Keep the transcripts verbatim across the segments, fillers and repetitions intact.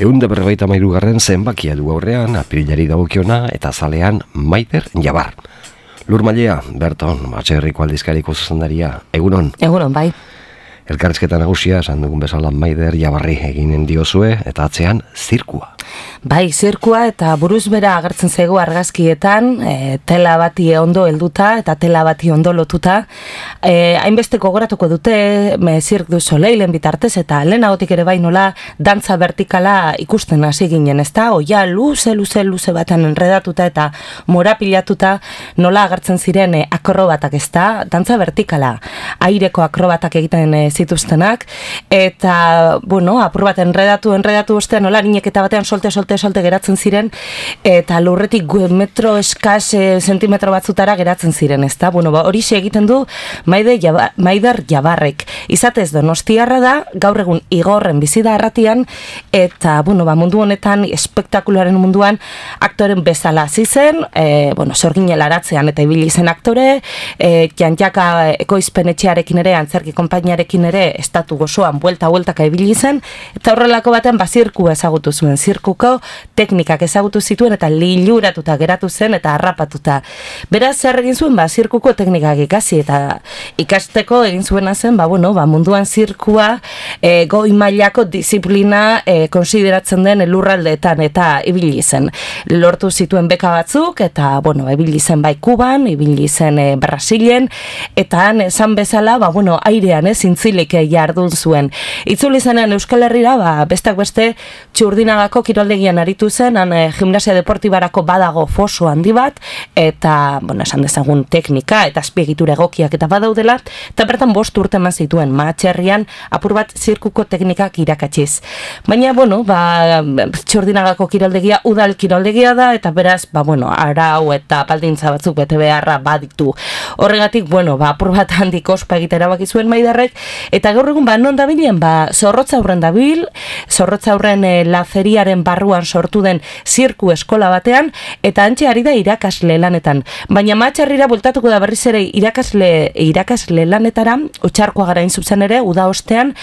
Ehun da berrogeita hamairugarren zenbakia du aurrean, apirilari dagokiona eta zalean Maider Jabar. Lur Mailea, Berton, Atxerriko aldizkariko zuzendaria, egunon? Egunon, bai. Elkarrizketa nagusia, esan dugun bezala Maider Jabarri eginen diozue, eta atzean zirkua. Bai, zirkua eta buruz bera agertzen zaigu argazkietan, e, tela bati ondo helduta eta tela bati ondo lotuta. E, hainbeste gogoratuko dute me Cirque du Soleilen bitartez eta lehenagotik ere bai nola dantza vertikala ikusten hasi ginen, ezta? Oia luze, luze, luze batean enredatuta eta morapilatuta nola agertzen ziren e, akrobatak, ezta? Dantza vertikala, aireko akrobatak egiten e, zituztenak, eta, bueno, apur bat enredatu, enredatu ostean nola niñeketa batean solte, solte, solte geratzen ziren, eta lurretik metro eskaz e, zentimetro batzutara geratzen ziren, ezta? Bueno, ba, hori egiten du Maider Jabar, Maider Jabarrek. Izatez Donostiarra da, gaur egun Igorren bizi da arratian, eta, bueno, ba, mundu honetan, espektakularen munduan, aktoren bezala hasi zen, e, bueno, sorginela aratzean eta ibili zen aktore, e, jantjaka ekoizpenetxearekin ere, antzerki konpainiarekin ere, estatu gozoan, buelta-bueltaka ibili zen, eta horrelako baten bazirkua ezagutu zuen, zirkuko teknikak ezagutu zituen eta liluratuta geratu zen eta harrapatuta. Beraz, zer egin zuen, ba, zirkuko teknikak ikasi eta ikasteko egin zuena zen, ba, bueno, ba, munduan zirkua e, goi mailako disiplina e, konsideratzen den lurraldeetan eta ibili zen. Lortu zituen beka batzuk eta, bueno, ibili zen bai Kuban, ibili zen e, Brasilen, eta han esan bezala, ba, bueno, airean ez zintzilik jardun zuen. Itzuli zenen Euskal Herrira, ba, bestak beste Txurdinagako kiroldegian aritu zen, han e, gimnasia deportibarako badago foso handi bat, eta, bueno, esan dezagun teknika eta azpiegitura egokiak eta badaudela, eta bertan bost urte eman zituen Matxerrian apur bat zirkuko teknikak irakatsiz. Baina, bueno, ba, Txurdinagako kiroldegia udal kiroldegia da, eta beraz, ba, bueno, arau eta baldintza batzuk bete beharra baditu. Horregatik, bueno, ba, apur bat handik ospa egitera baki zuen Maiderrek, eta gaur egun, ba, non dabilen, ba, Zorrotza aurren dabil, Zorrotza aurren e, laferiaren barruan sortu den zirku eskola batean, eta antxe ari da irakasle lanetan. Baina Matxarrira bultatuko da berriz ere irakasle, irakasle lanetara, Otxarkoa gara zuzen ere, uda ostean,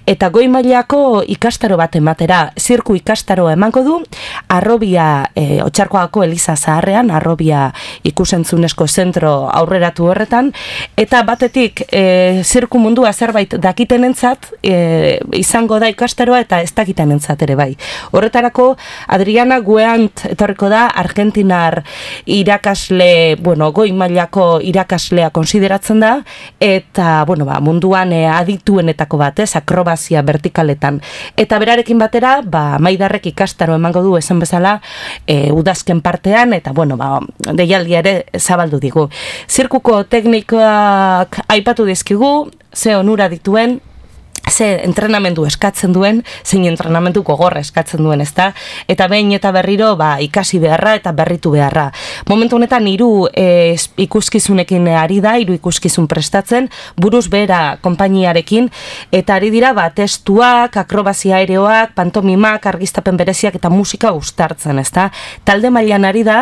eta goi mailako ikastaro bat ematera, zirku ikastaro emango du, Arrobia, e, Otxarkoako Eliza Zaharrean, Arrobia ikusentzunezko zentro aurreratu horretan, eta batetik e, zirku mundua zerbait dakitenentzat e, izango da ikastaroa eta ez dakitenentzat ere bai. Horretarako, Adriana Gueant etorriko da, Argentinar irakasle, bueno, goi mailako irakaslea konsideratzen da, eta, bueno, ba, munduan e, adituenetako bat, ez, akrobazia vertikaletan. Eta berarekin batera, ba, Maiderrek ikastaro emango du esan bezala, e, udazken partean, eta, bueno, ba, deialdia ere zabaldu digu. Zirkuko teknikak aipatu dizkigu, ze onura dituen, ze entrenamendu eskatzen duen, zein entrenamendu gogorra eskatzen duen, ezta? Eta behin eta berriro, ba, ikasi beharra eta berritu beharra. Momentu honetan hiru e, ikuskizunekin ari da, hiru ikuskizun prestatzen, buruz behera konpainiarekin, eta ari dira, ba, testuak, akrobazia aereoak, pantomimak, argiztapen bereziak eta musika uztartzen, ezta? Talde mailan ari da,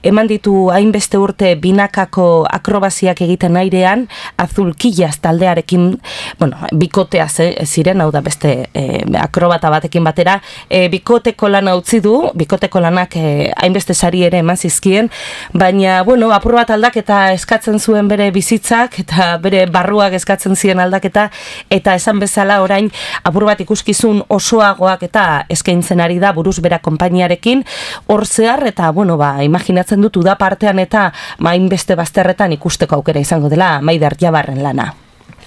eman ditu hainbeste urte binakako akrobaziak egiten airean, Azulkillaz taldearekin, bueno, bikotea ze, ziren, hau da beste e, akrobata batekin batera, e, bikoteko lana utzi du, bikoteko lanak e, hainbeste sari ere eman zizkien, baina, bueno, apur bat aldaketa eskatzen zuen bere bizitzak, eta bere barruak eskatzen ziren aldaketa, eta esan bezala orain apur bat ikuskizun osoagoak eta eskaintzen ari da buruz bera konpainiarekin, hor zehar, eta, bueno, ba, imaginatzen dut uda partean eta hainbeste bazterretan ikusteko aukera izango dela Maider Jabarren lana.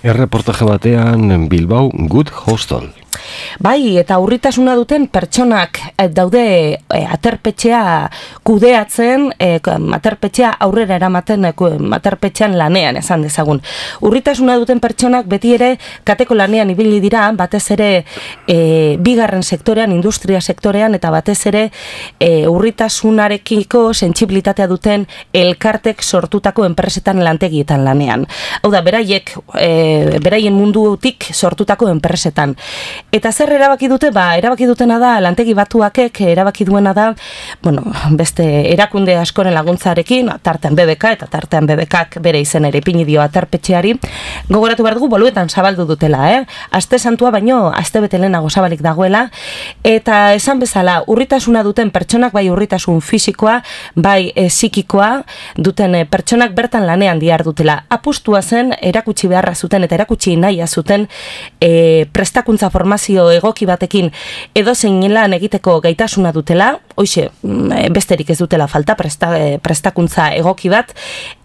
Erreportaje batean Bilbao Good Hostel. Bai, eta urritasuna duten pertsonak daude e, aterpetxea kudeatzen, e, aterpetxea aurrera eramaten, e, aterpetxean lanean, esan dezagun. Urritasuna duten pertsonak beti ere kateko lanean ibili dira, batez ere e, bigarren sektorean, industria sektorean, eta batez ere e, urritasunarekiko sentsibilitatea duten elkartek sortutako enpresetan lantegietan lanean. Hau da, beraiek, e, beraien mundutik sortutako enpresetan. Eta zer erabaki dute? Ba, erabaki dutena da, lantegi batuakek erabaki duena da, bueno, beste erakunde askoren laguntzarekin, tartean B B K, eta tartean B B Kak bere izen ere ipini dio aterpetxeari, gogoratu behar dugu boluetan zabaldu dutela, eh? Aste santua baino, aste bete lehenago zabalik dagoela, eta esan bezala, urritasuna duten pertsonak, bai urritasun fisikoa, bai e, psikikoa, duten e, pertsonak bertan lanean diar dutela. Apustua zen, erakutsi beharra zuten, eta erakutsi nahia zuten, e, prestakuntza formazio egoki batekin edozein lan egiteko gaitasuna dutela, hoixe, besterik ez dutela falta presta, prestakuntza egoki bat,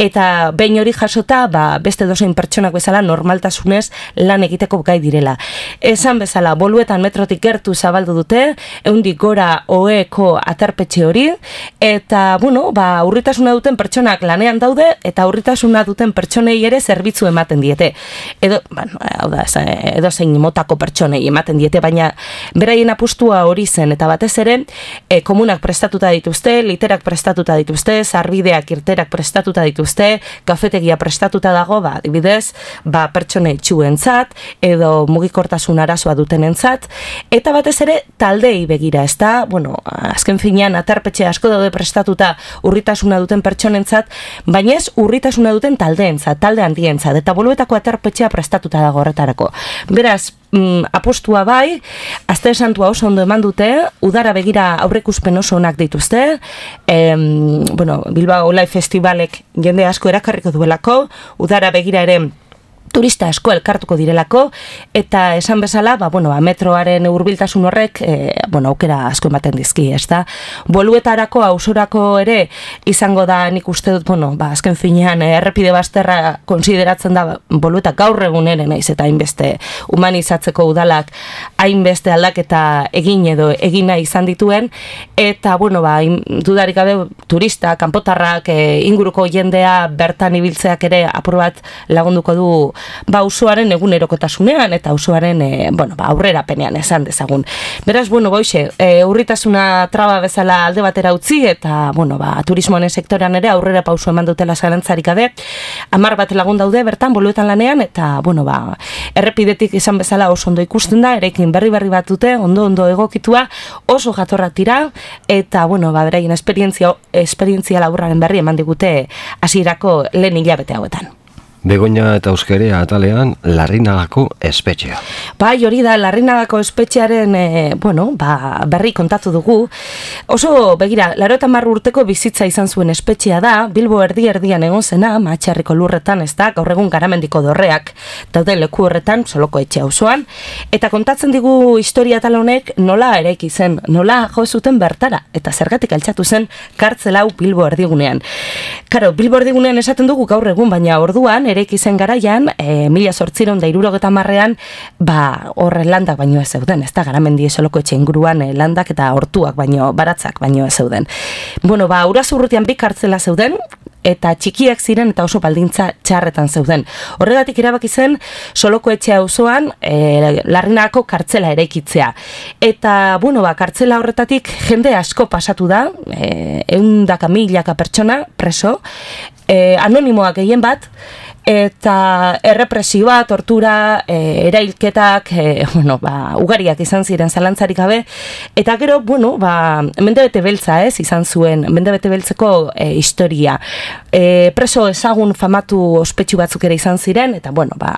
eta behin hori jasota, ba, beste edozein pertsonak bezala normaltasunez lan egiteko gai direla. Esan bezala, boluetan metrotik gertu zabaldu dute, ehundik gora oeko aterpetxe hori, eta, bueno, ba, urritasuna duten pertsonak lanean daude, eta urritasuna duten pertsonei ere zerbitzu ematen diete. Edo, bueno, hau da, edozein motako pertsonei ematen diete, baina beraien apustua hori zen, eta batez ere, e, komunak prestatuta dituzte, literak prestatuta dituzte, sarbideak irterak prestatuta dituzte, kafetegia prestatuta dago, ba, adibidez, ba, pertsone txuentzat, edo mugikortasun arazoa dutenentzat, eta batez ere, taldei begira, ez da, bueno, azken finean, aterpetxe asko daude prestatuta urritasuna duten pertsonentzat, baina ez urritasuna duten taldeentzat, talde handientzat, eta boluetako aterpetxea prestatuta dago horretarako. Beraz, mm, apostua bai, aste santua oso ondo eman dute, udara begira aurreikuspen oso onak dituzte, em, bueno, Bilbao Live Festivalek jende asko erakarriko duelako, udara begira ere turista asko elkartuko direlako, eta esan bezala, ba, bueno, ba, metroaren hurbiltasun horrek, e, bueno, aukera asko ematen dizki, ez da? Boluetarako, ausorako ere, izango da, nik uste dut, bueno, ba, azken finean, errepide bazterra konsideratzen da, bolueta gaur egun ere naiz, eta hainbeste humanizatzeko udalak, hainbeste aldaketa egin edo egina izan dituen, eta, bueno, ba, dudarik gabe, turista, kanpotarrak, e, inguruko jendea bertan ibiltzeak ere apur bat lagunduko du ba usuaren egunerokotasunean eta usuaren e, bueno, ba, aurrerapenean esan dezagun. Beraz, bueno, boixe, e, urritasuna traba bezala alde batera utzi eta, bueno, ba, turismoaren sektorean ere aurrera pauso eman dutela zalantzarik gabe, hamar bat lagun daude bertan boluetan lanean eta, bueno, ba, errepidetik izan bezala oso ondo ikusten da, erekin berri berri bat dute, ondo ondo egokitua, oso jatorra tira eta, bueno, ba, beraien esperientzia, esperientzia laburraren berri eman digute hasierako lehen hilabete hauetan. Begoña eta Euskere atalean Larrinagako espetxea. Bai, hori da, Larrinagako espetxearen e, bueno, ba, berri kontatu dugu. Oso, begira, laurogeita hamar urteko bizitza izan zuen espetxea da, Bilbo erdi erdian egon zena, Matxarriko lurretan, ez da, gaur egun Garamendiko dorreak daude leku horretan, Soloko etxe auzoan, eta kontatzen digu historia tal honek nola eraiki zen, nola jo zuten bertara, eta zergatik altxatu zen kartzela hau Bilbo erdigunean. Karo, Bilbo erdigunean esaten dugu gaur egun, baina orduan, eraiki zen garaian, e, mila zortziron da hirurogeta marrean, ba, horre landak baino ez zeuden, ez da, Garamendi Soloko etxe inguruan e, landak eta hortuak baino, baratzak baino ez zeuden. Bueno, ba, Urazurrutian bi kartzela zeuden, eta txikiak ziren eta oso baldintza txarretan zeuden. Horregatik erabaki zen Soloko etxe auzoan e, Larrinagako kartzela eraikitzea. Eta, bueno, ba, kartzela horretatik jende asko pasatu da, e, ehundaka milaka pertsona preso, e, anonimoak gehien bat, eta errepresioa, tortura, e, erailketak, e, bueno, ba, ugariak izan ziren zalantzarik gabe, eta gero, bueno, ba, mendebete beltza ez, izan zuen, mendebete beltzeko e, historia. E, preso ezagun famatu ospetsu batzuk ere izan ziren, eta, bueno, ba,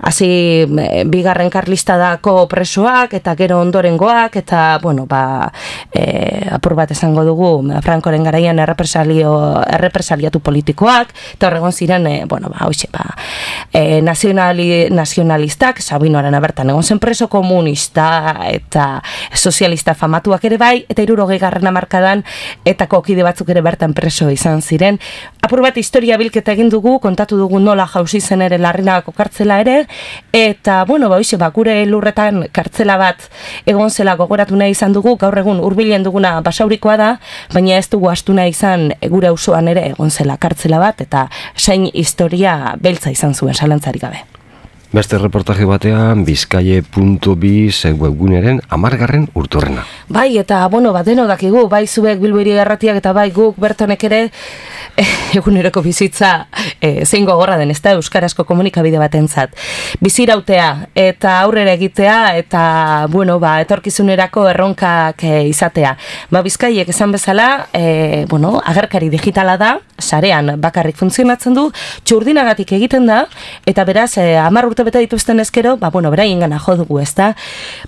hasi e, bigarren karlistadako presoak, eta gero ondorengoak, eta, bueno, ba, e, apur bat esango dugu, Frankoren garaian errepresalio, errepresaliatu politikoak, eta horregon ziren, e, bueno, ba, hoxe, ba, e, nazionali, nazionalistak, Sabinoaren abertan egon zen preso komunista eta sozialista famatuak ere bai, eta hirurogei garren hamarkadan eta kokide batzuk ere bertan preso izan ziren. Apur bat historia bilketa egin dugu, kontatu dugu nola jauzi zen ere Larrinagako kartzela ere, eta, bueno, ba, hoxe, ba, gure lurretan kartzela bat egon zela gogoratu nahi izan dugu, gaur egun hurbilen duguna Basaurikoa da, baina ez dugu astu nahi izan gure auzoan ere egon zela kartzela bat, eta zain historia beltza izan zuen, zalantzarik gabe. Beste reportaje batean, bizkaie puntu biz webguneren amargarren urturrena. Bai, eta, bueno, bat deno dakigu, bai zuek Bilbo Hiri Irratiak eta bai guk bertonek ere, eguneroko bizitza e, zein gogorra den, ez da euskarazko komunikabide batentzat. Bizirautea eta aurrera egitea eta, bueno, ba, etorkizunerako erronkak e, izatea. Ba, Bizkaiek esan bezala, e, bueno, agerkari digitala da, sarean bakarrik funtzionatzen du, txurdinagatik egiten da, eta beraz, e, hamar urte bete dituzten ezkero, ba, bueno, beraien gana jo dugu, ez da.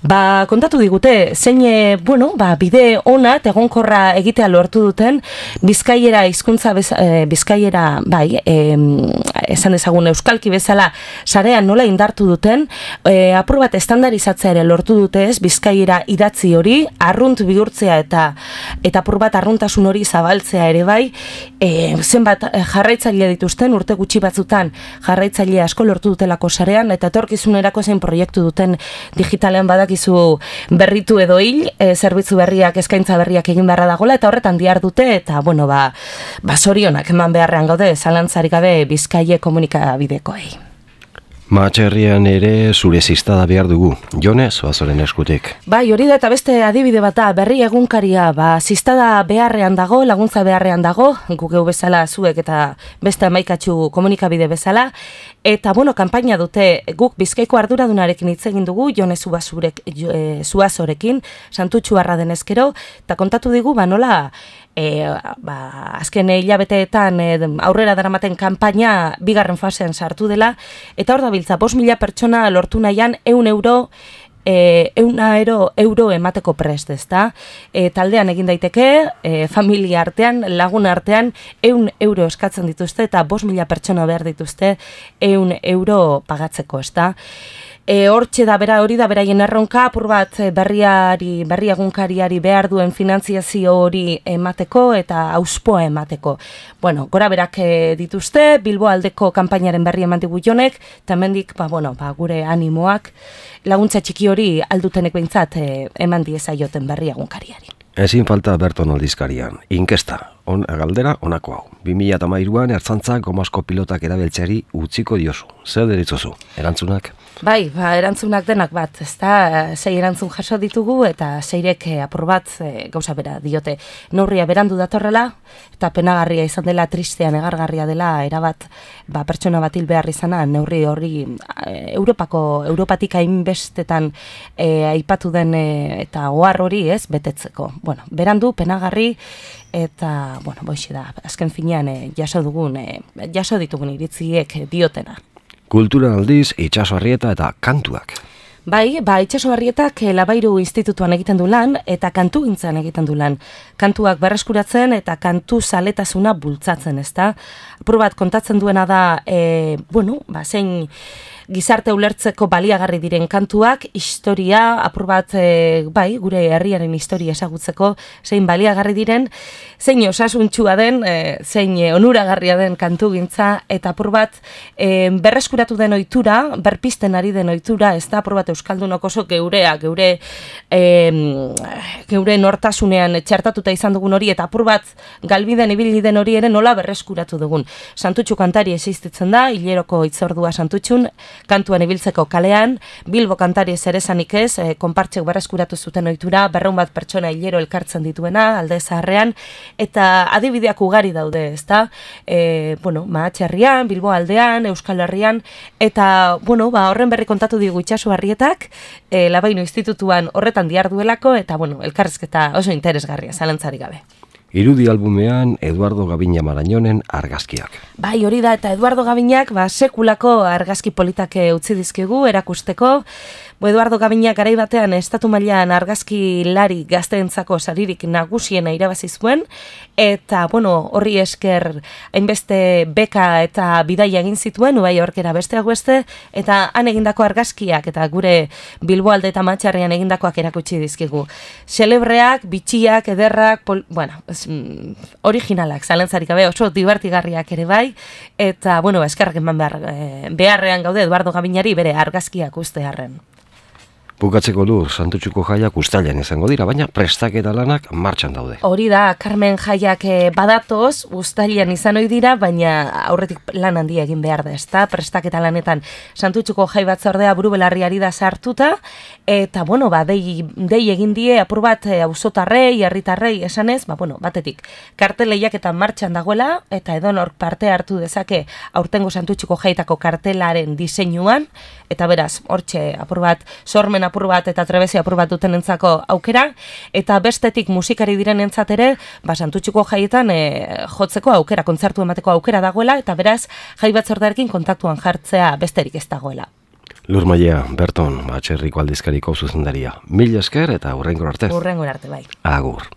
Ba, kontatu digute, zein, e, bueno, ba, bide ona, egonkorra egitea lortu duten, Bizkaiera hizkuntza bez, e, Bizkaiera, bai, e, esan ezagun euskalki bezala, sarean nola indartu duten, e, apur bat estandarizatzea ere lortu dute ez, Bizkaiera idatzi hori, arrunt bihurtzea eta eta apur bat arruntasun hori zabaltzea ere bai, e, zenbat jarraitzaile dituzten, urte gutxi batzutan jarraitzaile asko lortu dutelako sarean, eta etorkizunerako zein proiektu duten digitalean badakizu berritu edo hil, e, zerbitzu berriak, eskaintza berriak egin beharra dagoela, eta horretan dihar dute, eta bueno, ba, ba zorionak eman beharrean gaude, zalantzarik gabe Bizkaie komunikabidekoei. Mahatxerrian ere zure ziztada behar dugu, Jone Zuazoren eskutik. Bai, hori da eta beste adibide bata, berri egunkaria, ba, ziztada beharrean dago, laguntza beharrean dago, guk geu bezala zuek eta beste amaikatxu komunikabide bezala, eta, bueno, kanpaina dute, guk Bizkaiko arduradunarekin hitz egin dugu, Jone Zuazorekin, Santutxuarra denezkero, eta kontatu digu, ba, nola, E, ba, azken hilabeteetan e, aurrera daramaten kanpaina bigarren fasean sartu dela, eta hor dabiltza, bost mila pertsona lortu nahian eun euro, e, eun euro, euro emateko prest, ezta? E, taldean egin daiteke, e, familia artean, lagun artean, eun euro eskatzen dituzte, eta bost mila pertsona behar dituzte eun euro pagatzeko, ezta? E, hortxe da bera, hori da beraien erronka, apur bat berriari, berri egunkariari behar duen finantziazio hori emateko eta auspoa emateko. Bueno, gora berak dituzte, Bilbo aldeko kanpainaren berri eman digu Jonek, eta hemendik, ba, bueno, ba, gure animoak, laguntza txiki hori aldutenek behintzat e, eman diezaioten berri egunkariari. Ezin falta Berton aldizkarian, inkesta, on, galdera onako hau. bi mila hamairuan ertzantzak gomasko pilotak erabiltzeari utziko diozu. Zer deritzozu? Erantzunak? Bai, ba, erantzunak denak bat, ez da, sei erantzun jaso ditugu eta seirek apur bat e, gauza bera diote. Neurria berandu datorrela eta penagarria izan dela, tristean egargarria dela, erabat ba, pertsona bat hil behar izana, neurri horri e, Europako, Europatik hainbestetan e, aipatu den e, eta ohar hori ez, betetzeko. Bueno, berandu, penagarri, eta, bueno, boixe da, azken finean e, jaso dugun, e, jaso ditugun iritziek diotena. Kultura aldiz, Itxaso Arrieta eta kantuak. Bai, ba, Itxaso Arrietak Labairu Institutuan egiten du lan eta kantu gintzan egiten du lan. Kantuak berreskuratzen eta kantu zaletasuna bultzatzen, ezta? Apur bat kontatzen duena da, e, bueno, ba, zein gizarte ulertzeko baliagarri diren kantuak, historia, apur bat, e, bai, gure herriaren historia esagutzeko, zein baliagarri diren, zein osasuntsua den, e, zein onuragarria den kantugintza, eta apur bat, e, berreskuratu den ohitura, berpisten ari den ohitura, ez da, apur bat euskaldunok oso geurea, geure, e, geure nortasunean txertatuta izan dugun hori, eta apur bat galbiden ibili den hori ere nola berreskuratu dugun. Santutxu kantari existitzen da, hileroko itzordua Santutxun, kantuan ibiltzeko kalean, Bilbo kantari zeresanik ez, e, konpartxek berreskuratu zuten ohitura, berreun bat pertsona hilero elkartzen dituena, alde zaharrean, eta adibideak ugari daude, ezta? E, bueno, Mahatxerrian, Bilbo aldean, Euskal Herrian, eta, bueno, ba, horren berri kontatu digu Itxaso Arrietak, e, Labaino Institutuan horretan dihar duelako, eta, bueno, elkarrizketa oso interesgarria, zalantzarik gabe. Irudi albumean Eduardo Gabina Marañonen argazkiak. Bai, hori da, eta Eduardo Gabinak ba, sekulako argazki politak utzi dizkigu erakusteko. Bo Eduardo Gabinak garai batean estatu mailan argazki lari gazteentzako saririk nagusiena irabazi zuen, eta bueno, horri esker hainbeste beka eta bidaia egin zituen, Nueva Yorkera besteak beste, eta han egindako argazkiak eta gure Bilboalde eta Mahatxerrian egindakoak erakutsi dizkigu. Celebreak, bitxiak, ederrak, pol, bueno, es, mm, originalak, zalantzarik gabe, oso divertigarriak ere bai, eta bueno, eskerrak eman behar, eh, beharrean gaude Eduardo Gabinari bere argazkiak uste harren. Bukatzeko lur, Santutxuko jaiak uztailean izango dira, baina prestaketa lanak martxan daude. Hori da, Carmen jaiak badatoz, uztailean izan ohi dira, baina aurretik lan handia egin behar da, ezta? Prestaketa lanetan Santutxuko jai batzordea buru belarriari da sartuta, eta, bueno, ba, dei, dei egin die apur bat auzotarrei, herritarrei esanez, ba, bueno, batetik, karteleiak eta martxan dagoela, eta edonork parte hartu dezake aurtengo Santutxuko jaitako kartelaren diseinuan, eta beraz, hortxe apur bat, sormen apur bat eta trebezia apur bat dutenentzako aukera, eta bestetik musikari direnentzat ere, ba, Santutxuko jaietan e, jotzeko aukera, kontzertu emateko aukera dagoela, eta beraz, jai batzordearekin kontaktuan jartzea besterik ez dagoela. Lur Mailea, Berton, Atxerriko aldizkariko zuzendaria. Mila esker eta hurrengor arte. Hurrengor arte, bai. Agur.